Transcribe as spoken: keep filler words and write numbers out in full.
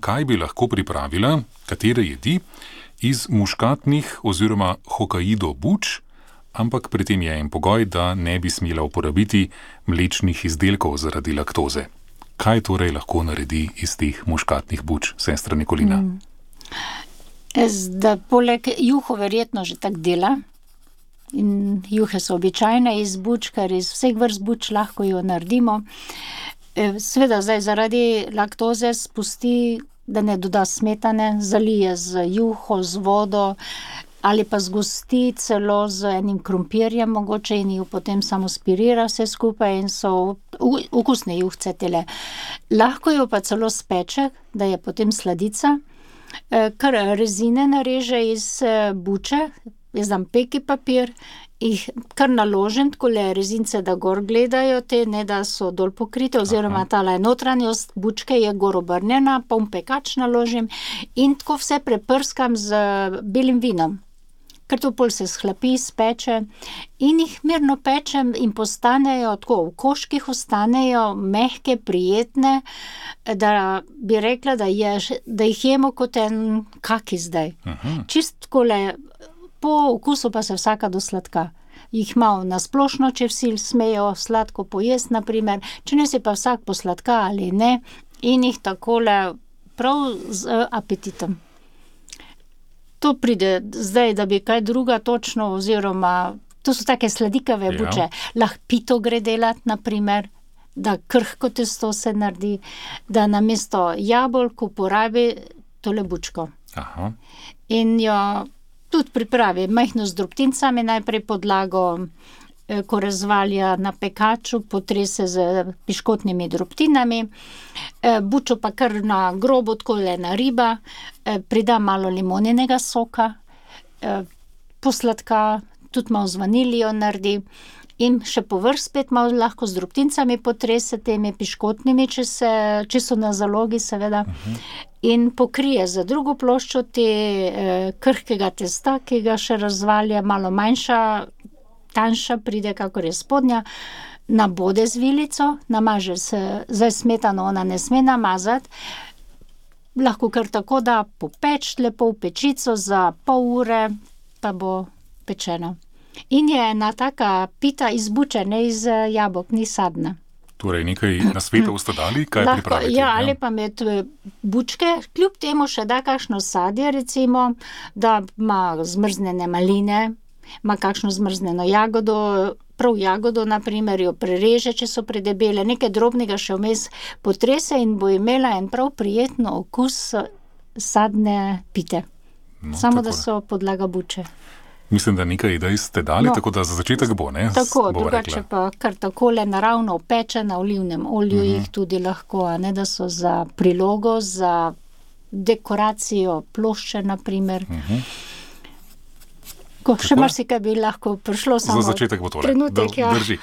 kaj bi lahko pripravila, katere jedi, iz muškatnih oziroma Hokkaido buč, ampak pri tem je en pogoj, da ne bi smela uporabiti mlečnih izdelkov zaradi laktoze. Kaj torej lahko naredi iz teh muškatnih buč, sestra Nikolina? Mm. Zdaj, poleg juho verjetno že tak dela. In juhe so običajne iz buč, ker iz vseh vrst buč lahko jo naredimo. Seveda zdaj zaradi laktoze spusti, da ne doda smetane, zalije z juho, z vodo ali pa zgosti celo z enim krompirjem mogoče in jo potem samo spirira vse skupaj in so okusne juhce tele. Lahko jo pa celo speče, da je potem sladica, kar rezine nareže iz buče, jaz dam peki papir, jih kar naložim, takole rezince, da gor gledajo te, ne da so dol pokrite, oziroma tale notranjost bučke je gor obrnjena, pa v pekač naložim in tako vse preprskam z belim vinom. Ker to pol se shlapi, speče in jih mirno pečem in postanejo tako, v koških ostanejo mehke, prijetne, da bi rekla, da, je, da jih jemo kot en kaki zdaj. Aha. Čist takole, po okusu pa se vsaka do sladka. Jih malo na splošno, če vsi smejo sladko pojesti, na primer, če ne si pa vsak po sladka ali ne, in jih takole prav z apetitom. To pride zdaj, da bi kaj druga točno, oziroma, to so take sladikave buče. Ja. Lahko pito gre delati, na primer, da krhko testo se naredi, da namesto jabolk uporabi tole bučko. Aha. In jo tudi pripravi majhno z drobtincami, najprej podlago, ko razvalja na pekaču, potrese z piškotnimi drobtinami, bučo pa kar na grobo, takole na riba, prida malo limoninega soka, posladka, tudi malo z vanilijo naredi in še povrh spet malo lahko z drobtincami potrese temi piškotnimi, če, se, če so na zalogi, seveda. Uh-huh. In pokrije za drugo ploščo te eh, krhkega testa, ki ga še razvalja, malo manjša, tanjša pride, kakor je spodnja, nabode z vilico, namaže se, zdaj smetano ona ne sme namazati, lahko kar tako da popeč lepo v pečico za pol ure, pa bo pečeno. In je ena taka pita iz buče, ne iz jabolk, ni sadna. Torej, nekaj nasvetov ste dali, kaj lahko, pripraviti? Ja, ali pa med bučke, kljub temu še da kakšno sadje, recimo, da ima zmrznjene maline, ima kakšno zmrznjeno jagodo, prav jagodo, na primer, jo prereže, če so predebele, nekaj drobnega še vmes potrese in bo imela en prav prijetno okus sadne pite. No, samo tako, da so podlaga buče. Mislim, da nekaj idej ste dali, no, tako da za začetek bo, ne? Tako, drugače pa kar takole naravno opeče na olivnem olju, uh-huh. jih tudi lahko, a ne, da so za prilogo, za dekoracijo plošče, na primer. Uh-huh. Ko še marsikaj bi lahko prišlo, samo za začetek bo tole. Trenutek, ja. Drži.